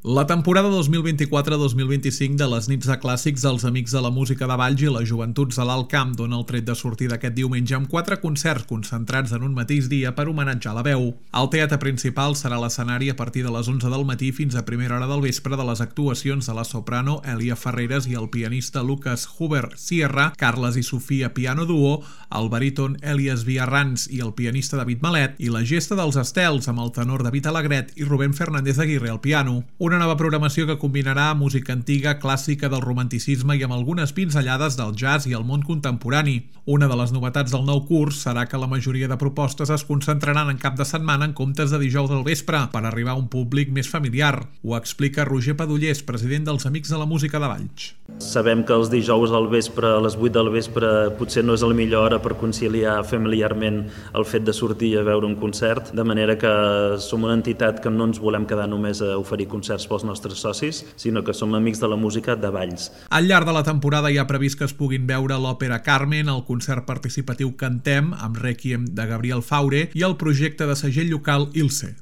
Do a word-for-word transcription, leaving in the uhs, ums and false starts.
La temporada dos mil vint-i-quatre dos mil vint-i-cinc de les nits de clàssics dels Amics de la Música de Valls i les Joventuts de l'Alt Camp dona el tret de sortida aquest diumenge amb quatre concerts concentrats en un mateix dia per homenatjar la veu. El teatre principal serà l'escenari a partir de les onze del matí fins a primera hora del vespre de les actuacions de la soprano Elia Ferreres i el pianista Lucas Huber Sierra, Carles i Sofia Piano Duo, el baríton Elias Villarrans i el pianista David Malet, i la Gesta dels Estels amb el tenor David Alegret i Rubén Fernández Aguirre al piano. Una nova programació que combinarà música antiga, clàssica del romanticisme i amb algunes pinzellades del jazz i el món contemporani. Una de les novetats del nou curs serà que la majoria de propostes es concentraran en cap de setmana en comptes de dijous al vespre per arribar a un públic més familiar. Ho explica Roger Padullers, president dels Amics de la Música de Valls. Sabem que els dijous al vespre, a les vuit del vespre, potser no és la millor hora per conciliar familiarment el fet de sortir a veure un concert, de manera que som una entitat que no ens volem quedar només a oferir concerts pels nostres socis, sinó que som amics de la música de Valls. Al llarg de la temporada hi ha previst que es puguin veure l'òpera Carmen, el concert participatiu Cantem, amb Rèquiem de Gabriel Faure i el projecte de segell local Ilse.